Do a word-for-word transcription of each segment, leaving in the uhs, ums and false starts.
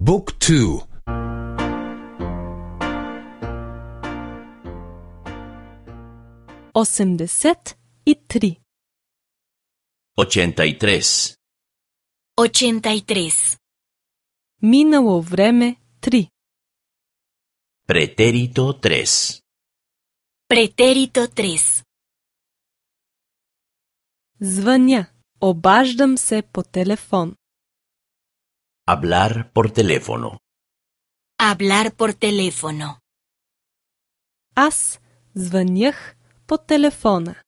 บุ๊กทูosemdeset i tri. Ochenta y tres. Ochenta y tres. Minalo vreme tri. Pretérito tres. Pretérito tres. Звъня. Обаждам се по телефон. Hablar por teléfono. Hablar por teléfono. Аз звънях по телефона.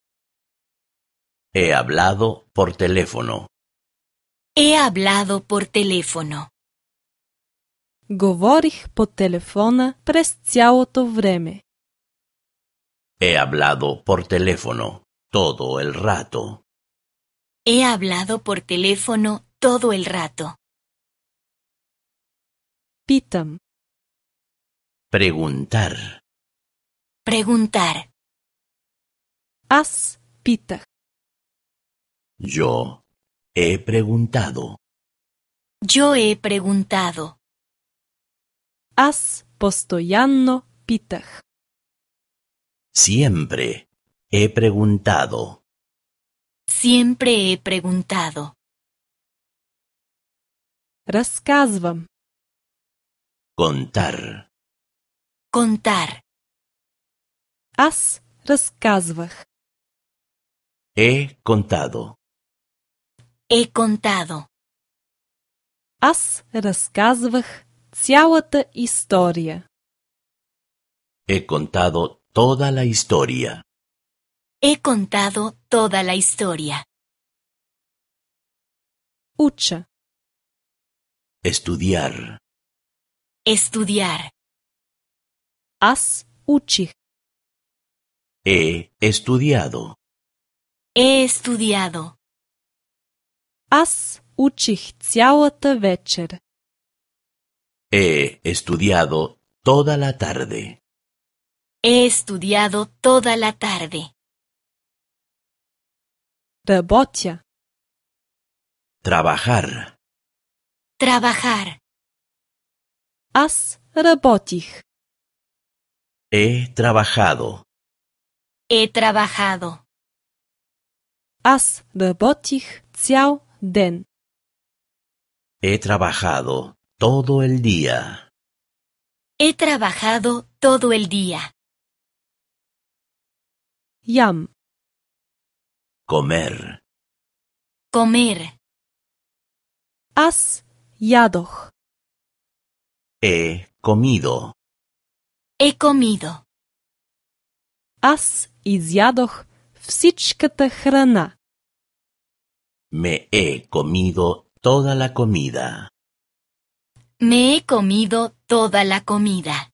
He hablado por teléfono. He hablado por teléfono. Говорих по телефона през цялото време. He hablado por teléfono todo el rato. He hablado por teléfono todo el rato. Питам. Preguntar. Preguntar. Аз питах. Yo he preguntado. Yo he preguntado. Аз постоянно питах. Siempre he preguntado. Siempre he preguntado. Разказвам. Contar. Contar. Аз разказвах. He contado. He contado. Аз разказвах цялата история. He contado toda la historia. He contado toda la historia. Уча. Estudiar. Estudiar. Аз учих. He estudiado. He estudiado. Аз учих цялата вечер. He estudiado toda la tarde. He estudiado toda la tarde. Работя. Trabajar. Trabajar. Аз работих. He trabajado. He trabajado. Аз работих цял ден. He trabajado todo el día. He trabajado todo el día. Ям. Comer. Comer. Аз ядох. He comido. He comido. Аз изядох всичката храна. Me he comido toda la comida. Me he comido toda la comida.